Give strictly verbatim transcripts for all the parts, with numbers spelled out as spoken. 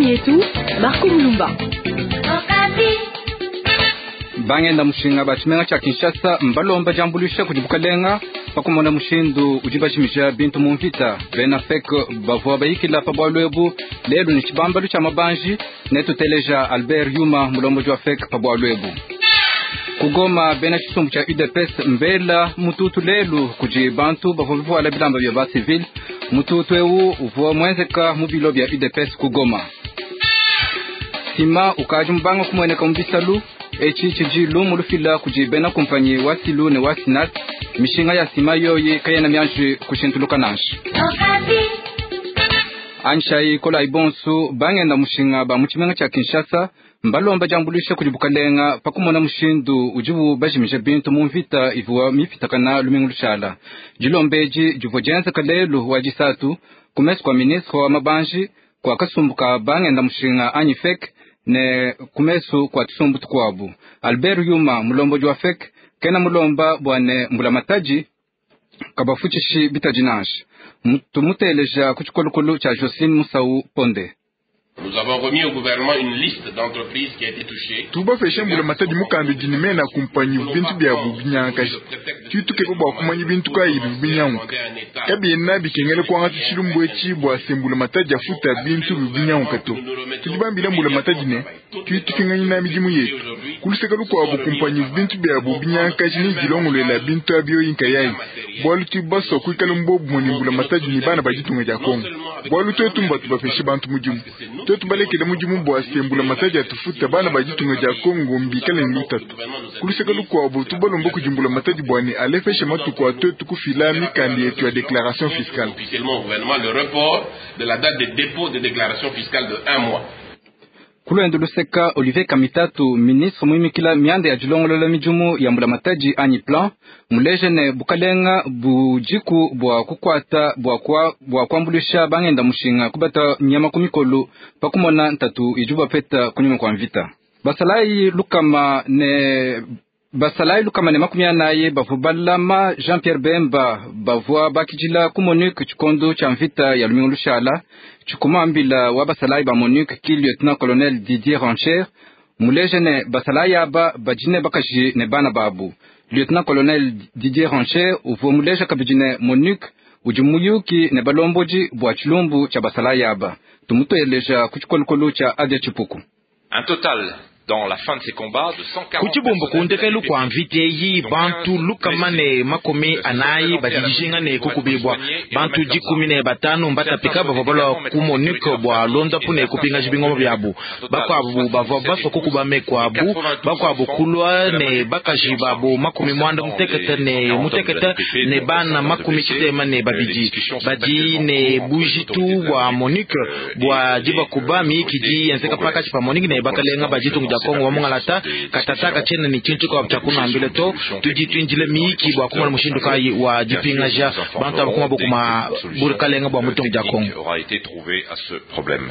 Programu yetu Marco Mulumba. Bangenda mushinga ba tshimenga tshia Kinshasa mbalomba diambuluisha kudi bukalenga pakumona mushindu udi bajimija bintu mu mvita. Bena F E C bavua bayikila pa bualu ebu lelu ne tshibambalu tshia mabanji. Netuteleja Albert Yuma, mulombodi wa F E C, pa bualu ebu. Ku Goma, bena tshisumbu tshia U D P S mbela mututu lelu kudi bantu bavua bivuala bilamba bia ba civil. Mututu ewu uvua muenzeka mu bilo bia U D P S ku Goma. Sima ukaji mubanga kumueneka mu bisalu. Etshi tshidi lumu lufila kudi bena kumpanyi wa Silu ne wa Sinat. Mishinga ya sima yoyi kayena mianji kushintuluka nansha. Anshai kolai bonsu. Bangenda mushinga ba mu tshimenga tshia Kinshasa mbalomba diambuluisha kudi bukalenga pakumona mushindu udibu bajimija bintu mu mvita ivua mipitakana lumingu lushala. Dilomba edi divua dienzeka lelu wa disatu ku mesu kua ministre wa mabanji, kua kasumbu ka bangenda mushinga anyi F E C, ne ku mesu kua tusumbu tukuabu. Albert Yuma, mulombodi wa F E C, kena mulomba bua ne mbulamatadi kabafutshishi bitadi nansha. Tumuteleja ku tshikolokolo tshia Jocelyne Musau Ponde. Nous avons remis au gouvernement une liste d'entreprises qui a été touchée. Tubapeshe mbulamatadi mukanda udi ne mena kumpanyi bintu biabu binyangaji. Tuitukeba bua kumanya bintu kayi bivu binyanguka. Kabiena bikengela kuangata tshilumbu etshi bua se mbulamatadi afuta bintu bivu binyanguka to. Tudi bambila mbulamatadi ne tuitupinganyina midimu yetu. Kuluseka lukuabu, kumpanyi bintu biabu binyangaji ne dilongolola bintu abio nkayayi, bualu tudi basua kuikala mbobumue ne mbulamatadi ne bana ba ditunga dia Kongo, bualu twetu mbatu bapeshe bantu mudimu. Twetu balekele mudimu bua se mbulamatadi atufuta, bana ba ditunga dia Kongo mbikale ne lutatu. Kuluseka lukuabu, tubalomba kudi mbulamatadi bua ne alepeshe matuku a twetu kufila mikanda yetu ya déclaration fiscale. Officiellement au gouvernement le report de la date de dépôt de déclaration fiscale de un mois. Kulwendo luseka, Olivier Kamitatu, ministre muimikila mianda ya dilongolola midimu ya mbulamatadi anyi plan, muleje ne bukalenga bujiku bua kukwata bua kwa bua kuambulisha bangenda mushinga kubata nyama ku mikolo pakumona ntatu idi bapeta kunyuma kwa mvita. Basalayi lukama ne basalayi lukama ne makumi anayi bavua balama Jean Pierre Bemba bavua bakidila ku MONUC tshikondo tshia mvita ya lumingu lushala. Tshikumambila wa basalayi ba MONUC ki lieutenant colonel Didier Rancher muleje ne basalayi aba badi ne bakaji ne bana babu. Lieutenant colonel Didier Rancher uvua muleja kabidi ne MONUC udi muyuki ne balombodi bua tshilumbu tshia basalayi aba. Tumuteleja ku tshikolokolo tshia Adia Tshipuku. Un total dans la fin de ces combats de cent quarante Ku tshibumbu kundekelu kua mvita eyi, bantu lukama ne makumi anayi badidijinga ne kukubibwa. Bantu dikumi ne batanu mbatapika bavua balua ku MONUC bua londapu ne kupingaja bingoma biabu. Bakuabu bavua basua kukuba meku abu, bakuabu kulua ne bakaji babu makumi mwanda mutekete ne mutekete ne bana makumi tshitema ne babidi. Badi ne bujitu bua MONUC bua dibakuba. Miyiki di yenzeka pakatshi pa MONUC ne bakalenga ba ditunga dia Kongo wa mungalata katataka tshiena ne tshintu tshikuabu tshia kunambila to. Tudi tuindile miyiki bua kumona mushindu kayi wa dipingaja bantu aba kuma bokuma bukalenga bua mutunga dia Kongo. Aura été trouvé à ce problème.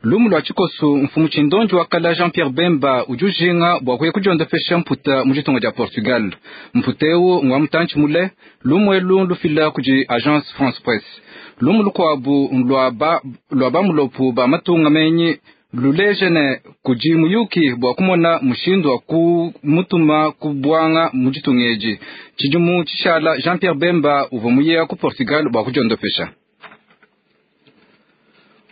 Lumu lua tshikoso, mfumu tshindonji wa kala Jean Pierre Bemba udi ujinga bua kuya kudiondopesha mputa mu ditunga dia Portugal. Mputa ewu ngwa mutantshi mule. Lumu elu lufila kudi Agence France Presse. Lumu lukuabu lua ba lua bamulopu ba matunga menyi luleje ne kudi muyuki bua kumona mushindu wa kumutuma ku bwanga mu ditunga edi. Tshidimu tshishala, Jean Pierre Bemba uvua muyeya ku Portugal bua kudiondopesha.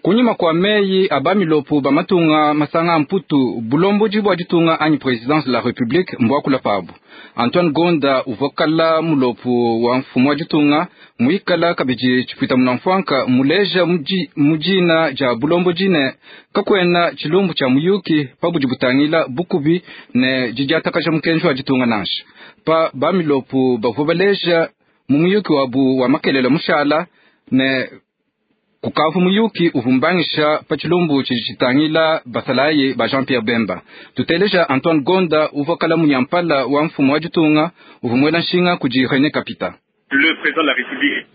Kunyima kua meyi a bamilopu ba matunga masanga mputu, bulombodi bua ditunga anyi présidence de la République mbuakula pabu. Antoine Gonda uvua kala mulopu wa mfumu wa ditunga, muikala kabidi tshipwita munamfwanka, muleja mu dina dia bulombodi ne kakwena tshilumbu tshia muyuki pa budi butangila bukubi ne didiatakaja mukenji wa ditunga nansha. Pa bamilopu bavua baleja mu muyuki wabu wa makelela mushala ne kukavu muyuki uvua mbangisha pa tshilumbu tshidi tshitangila basalayi ba Jean Pierre Bemba. Tuteleja Antoine Gonda, uvua kala munyampala wa mfumu wa ditunga, uvua muela nshinga kudi René Kapita. Le président de la République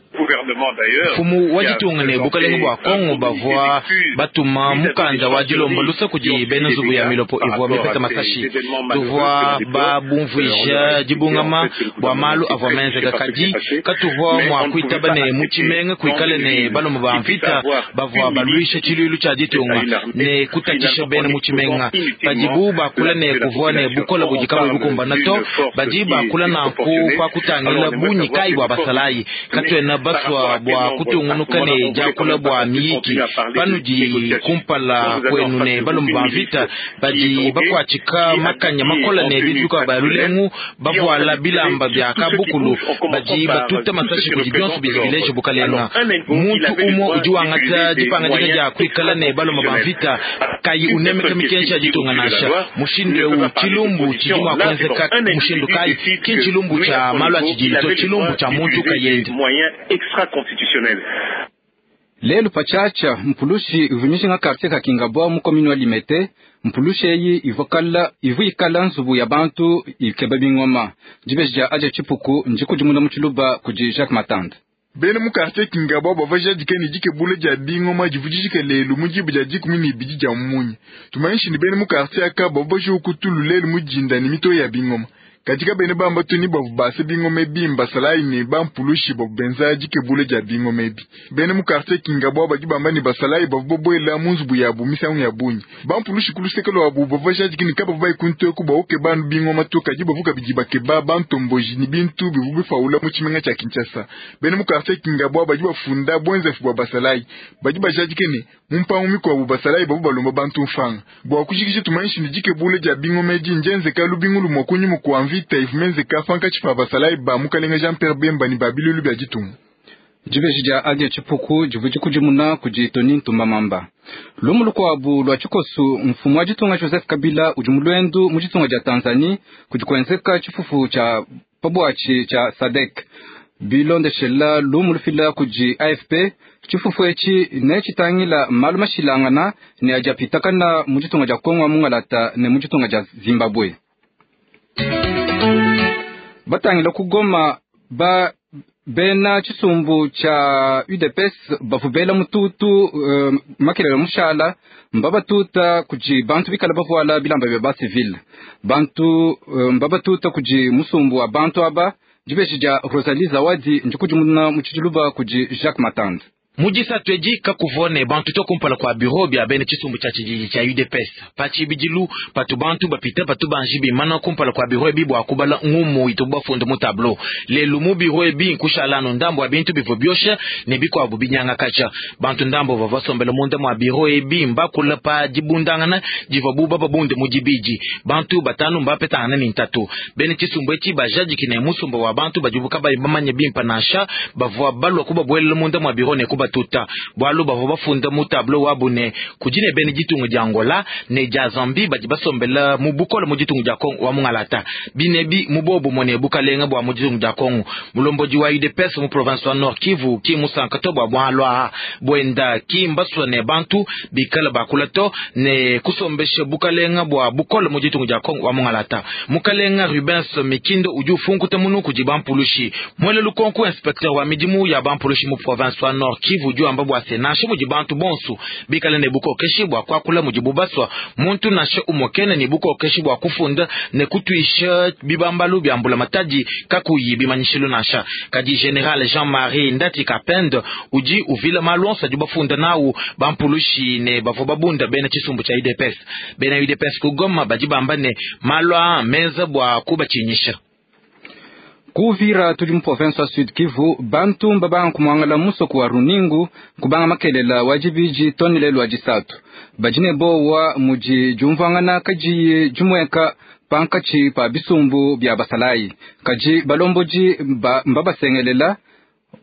Mfumu wa ditunga ne bukalenga bua Kongo bavua batuma mukanda wa dilomba lusa kudi bena nzubu ya milopo ivua mipeta masashi. Tuvua babumvuija dibungama bua malu avua menzeka, kadi katuvua mua kuitaba ne mu tshimenga kuikale ne balomba ba mvita bavua baluisha tshiluilu tshia ditunga ne kutatshisha bena mu tshimenga. Padibu bakula ne kuvua ne bukola budi kabuyi bukumbana to, badi bakula nanku pa kutangila bungi kayi bua basalayi. Katuena basua bua kutungunuka ne diakula bua miyiki panudi kumpala kwenu ne balomba ba mvita badi bakuatshika makanya makola ne bintu bya lulengu bavuala bilamba bya kabukulu badi batuta masashi kudi bionso bidi bileje bukalenga. Muntu umwe udi wangata dipangadika dia kuikala ne balomba ba mvita kayi unemeka mikenji ya ditunga nansha. Mushindu eu tshilumbu tshidi mua kuenzeka mushindu kayi? Ki tshilumbu tshia malu a tshididi to, tshilumbu tshia muntu kayende. Lelu patshiatshia mpulushi ivua mijinga quartier ka Kingabwa mu commune wa Limete. Mpulushi eyi ivua ivua ikala nzubu ya bantu ikeba bingoma. Dibeji dia adia tshipuku ndikudimuna mu tshiluba kudi Jacques Matande. Bena mu quartier Kingabwa bavua jadika ne dikebula dia bingoma divua dijika lelu mu diba dia dikumi ne ibidi dia munya. Tumanyishi ne bena mu quartier aka bavua bajuka kutulu lelu mu dinda ne mitoyi ya bingoma. Katika bene bamba tuni bavu base bingoma ebi mbasalayi ne bampulushi bavu benza dikebula dia bingoma ebi. Bene mu quartier Kingabwa badi bamba ne basalayi bavu babuela mu nzubu yabu misangu ya bungi. Bampulushi ku luseke lwabu bavua jadika ne kabavu bayikunteku bawukeba bingoma to, kadi bavu kabidi bakeba bantomboji ne bintu bivu bifaula mu tshimenga tshia Kinshasa. Bene mu quartier Kingabwa badi bafunda bwenzefu bua basalayi. Badi bajadika ne mu mpangu mikuabu basalayi bavu balomba bantu mfanga. Bua kujikija tumanyishi ne dikebula dia bingoma edi ndienzeka lubingu lumue kunyima kua mvita ivua menzeka pankatshi pa basalayi ba mukalenga Jean Pierre Bemba ne ba bilulu bia ditunga. Dibeji dia adia tshipuku divua dikudimuna kudi Tony Ntumba Mamba. Lumu lukuabu lua tshikosu, mfumu wa ditunga Joseph Kabila udi mu luendu mu ditunga dia Tanzanie kudi kuenzeka tshifufu tshia pabuatshi tshia SADC. Bilondeshela lumu lufila kudi A F P, tshifufu etshi ne tshitangila malu mashilangana ne adi apitakana mu ditunga dia Kongo wa Mungalata ne mu ditunga dia Zimbabwe. Batangila kugoma ba bena tshisumbu tshia U D P S bavubela mututu uh, makelele mushala mbabatuta kudi bantu bikala bavuala bilamba bya ba civil. Bantu uh, mbabatuta kudi musumbu wa bantu aba. Dibeji dia Rosalie Zawadi ndikudimuna mu tshiluba kudi Jacques Matande. Mujisatu edi kakuvua ne bantu to kumpala kua bureau bia bena tshisumbu tshia tshididi tshia U D P S. Patshibidilu patu bantu bapita patu banji bimana kumpala kua bureau ebi bua kubala ngumu itubu bafunda mu tableau. Lelu mu bureau ebi nkushala ndambo wa bintu bivua biosha ne bikuabu binyangakaja. Bantu ndambo bavua basombela munda mua bureau ebi mbakula pa dibundangana divua buba babunde mu dibidi. Bantu batanu mbapetangana ne ntatu. Bena tshisumbu etshi bajadiki ne musumba wa bantu badibu kabayi bamanye bimpa nansha bavua balua kubabuelela munda mua bureau ne kuba tuta bwalu bavua bafunda mu tableau wabu ne kudi ne bene ditunga dia Angola ne dia Zambie badi basombela mu bukola mu ditunga dia Kongo wa Mungalata. Binebi mu bobu mone bukalenga bua mu ditunga dia Kongo. Mulombodi wa U D P S mu province wa Nord Kivu ki musanka to bua bwalwa bwenda ki mbaswa ne bantu bikala bakula to ne kusombesha bukalenga bua bukola mu ditunga dia Kongo wa Mungalata. Mukalenga Rubens Mikindo udi ufunkuta munu kudi bampulushi. Mwele lukonko inspecteur wa midimu ya bampulushi mu province wa Nord Kivu udi wamba bua se nansha mudi bantu bonso bikale ne bukokeshi bua kuakula mudi bubaswa muntu nansha umokene ne bukokeshi bua kufunda ne kutuisha bibambalu bya mbula matadi kakuyi bimanyishilu nansha. Kadi General Jean-Marie Ndati Kapende udi uvila malu onso adi bafunda nawu bampulushi ne bavua babunda bena tshisumbu tshia U D P S. Bena U D P S ku Goma badi bamba ne malu aa menza bua kubatshinyisha. Kuvira tudi mu province wa Sud Kivu bantu mbabanga kumwangala musoko wa Runingu kubanga makelela wa dibidi tonile lwa disatu. Badi ne bowa mudi diumvuangana kadiyi dimueka pankatshi pa bisumbu bia basalayi. Kadi balombodi mbabasengelela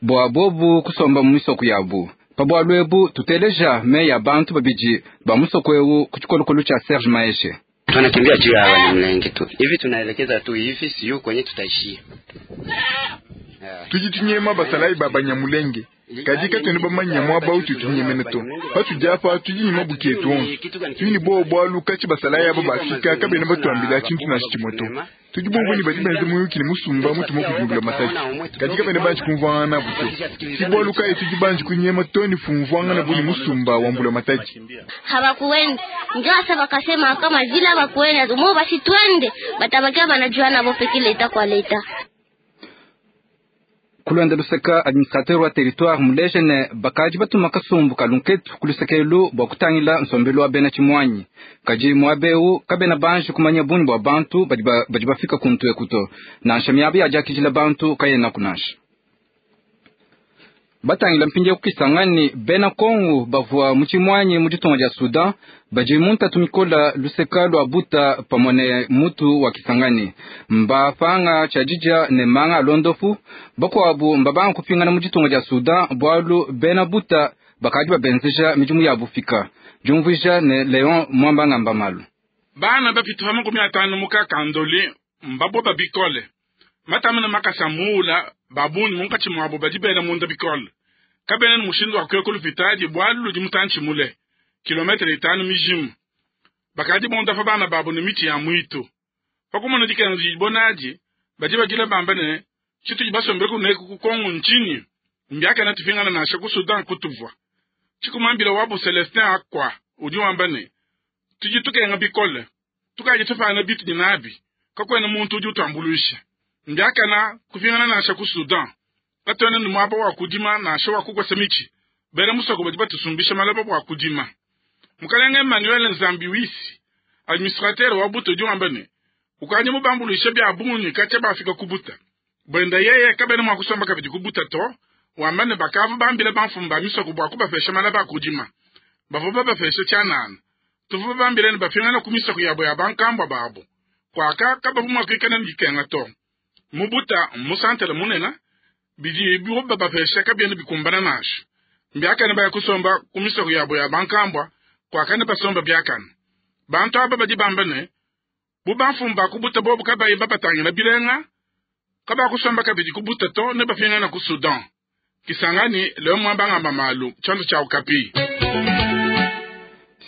bua bobu kusomba mu misoko yabu. Pa bualu ebu tuteleja meya bantu babidi ba musoko ewu ku tshikolokolo tshia Serge Maeshe. Tunakimbia juu ya Banyamulenge tu. Hivi tunaelekeza tu hivi sio kwenye tutaishia. Tujitunyema basalayi ba Banyamulenge. Kadi katuena bamanye muaba utudi tunyemena to. Patudi apa tudi ne mabuki etu onso. Tudi ne buowa bualu katshia basalayi aba bafika kabena batuambila tshintu nansha tshimue to. Tudi bumvue ne badi benza muyuki ne musumba mutuma kudi mbulamatadi. Kadi kabena banji kumvuangana nabu to. Si bualu kayi tudi banji kunyema to ne fumvuangana bu ne musumba wa mbulamatadi. Habakuenda njo asa bakasema kama vile habakuenda mo basi twende batabakia banajua nabo peke leta kwa leta. Kulwenda luseka administrateur wa territoire muleje ne bakaji batuma kasumbu kalunketu kulusekelu bua kutangila nsombelu wa bena tshimwanyi. Kaji muabeu kabena banji kumanya bungi bua bantu badi ba- badi bafika kuntu ekuto nansha miaba yadiakidila bantu kayena kunansha. Batangila mpindieu kukisangani bena Kongo bavua mu tshimwanyi mu ditunga dia Sudan badi mu ntatu mikola luseka lua buta pamue ne mutu wa Kisangani. Mbapanga tshiadidya ne manga a londopu bakuabu mbabanga kupingana mu ditunga dia Sudan bualu bena buta bakadi babenzeja midimu ya bufika. Diumvuija ne Leon Mwambangamba Malu. Bana bapita pa makumi atanu mu kakandoli mbaboba bikole matamina makasa muula babungi munkatshi muabo badi bela munda bikole kabena ne mushindu wa kuya kulupitadi bualu ludi mutantshi mule kilometre itanu mijimu bakadi bonda pa bana babo ne miti ya mwitu pakumona dikenga dibonadi badi badila bamba ne tshitudi basombele kuneku ku Kongo ntshinyi mbiakana tupingana nansha ku Sudan kutuvua tshikumambila wabu Celestin akwa udi wamba ne tudi tukenga bikole tukaji tupana bitu dinabi kakwena muntu udi utuambuluisha mbiakana kupingana nansha ku Sudan katwena ni muaba wa kudima nansha wa kukosa michi bena musoko badi batusumbisha malaba bua kudima. Mukalenge Emmanuel Nzambi wisi administrateur wa buta udi wamba ne ukadi mubambuluisha bia bungi katshia bafika kubuta bwenda yeye kabena mua kusomba kabidi kubuta to wamba ne bakava bambila bamfumu ba misoko bua kubapesha malaba a kudima bavua babapesha tshianana tuvua bambila ne bapingana ku misoko yabo ya bankambua babo kwaka kabavu mua kuikala ne dikenga to mubuta musantele munena bidi biwo babapesha kabiena bikumbana nansha mbiakane baya kusomba ku misoko yabo ya bankambua kwakane basomba biakane bantu aba badi bamba ne bu bamfumu bakubuta bobu kabayi babatangila bilenga kabakusomba kabidi kubuta to ne bapingana ku Sudan. Kisangani Leo Mwambangamba Malu chanzo cha Okapi.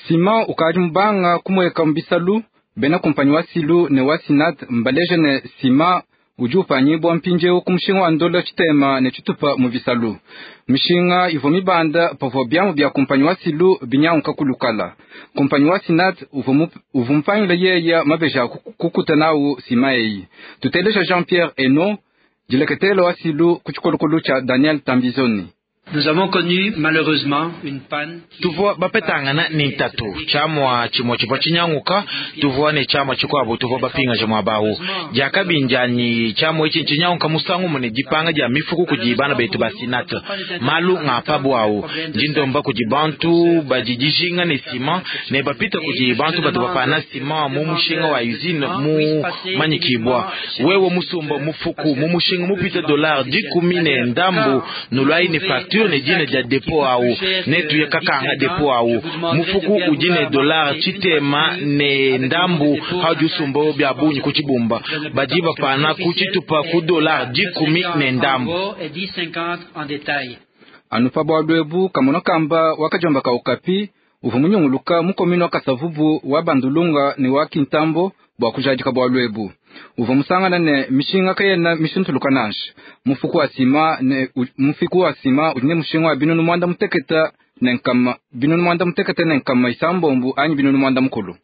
Sima ukadi mubanga kumweka mbisalu bena kumpanyi wa silu ne wa sinat mbaleje ne sima udi upanyibwa mpindieu ku mushinga wa ndola tshitema ne tshitupa mu bisalu. Mishinga ivua mibanda pavua biamu bia kumpanyi wa silu binyanguka kulukala. Kumpanyi wa sinat uvua mupangila yeya mabeji a kukuta nawu sima eyi. Tuteleja Jean-Pierre Eno dileketela wa silu ku tshikolokolo tshia Daniel Tambizoni. Nous avons connu malheureusement une panne. Tuvua bapetangana ni ntatu tshiamua tshimue tshivua tshinyanguka tuvua ne tshiamua tshikuabu tuvua bapingaja muabawu diakabindianyi tshiamua etshi ntshinyanguka musangu mune dipanga dia mifuku kudi bana betu ba sinat malu ng'apabu awu ndindomba kudi bantu badi dijinga ne sima ne bapita kudi bantu batu bapana sima mu mushinga wa usine mu manyikibwa wewe musumba mufuku mu mushinga mupita dollar dikumi ne ndambu nulwai ne facture ne dina dia depo awu ne tuye kakanga depo awu mufuku udi ne dollar tshitema ne ndambu hadi usumba bia bungi ku tshibumba badi bapana ku tshitupa ku dollar dikumi ne ndambu. Anu pa bualu ebu kamono kamba wakajomba ka Okapi uvua munyunguluka mukomino wa Kasavubu wa Bandulunga ne wa Kintambo bua kujadika bualu ebu. Uvua musangana ne mishinga kayena mishintuluka nansha mufuku wa sima ne mufiku wa sima udi ne mushinga wa binunu mwanda muteketa ne nkama binunu mwanda muteketa ne nkama isambombu anyi binunu mwanda mukulu.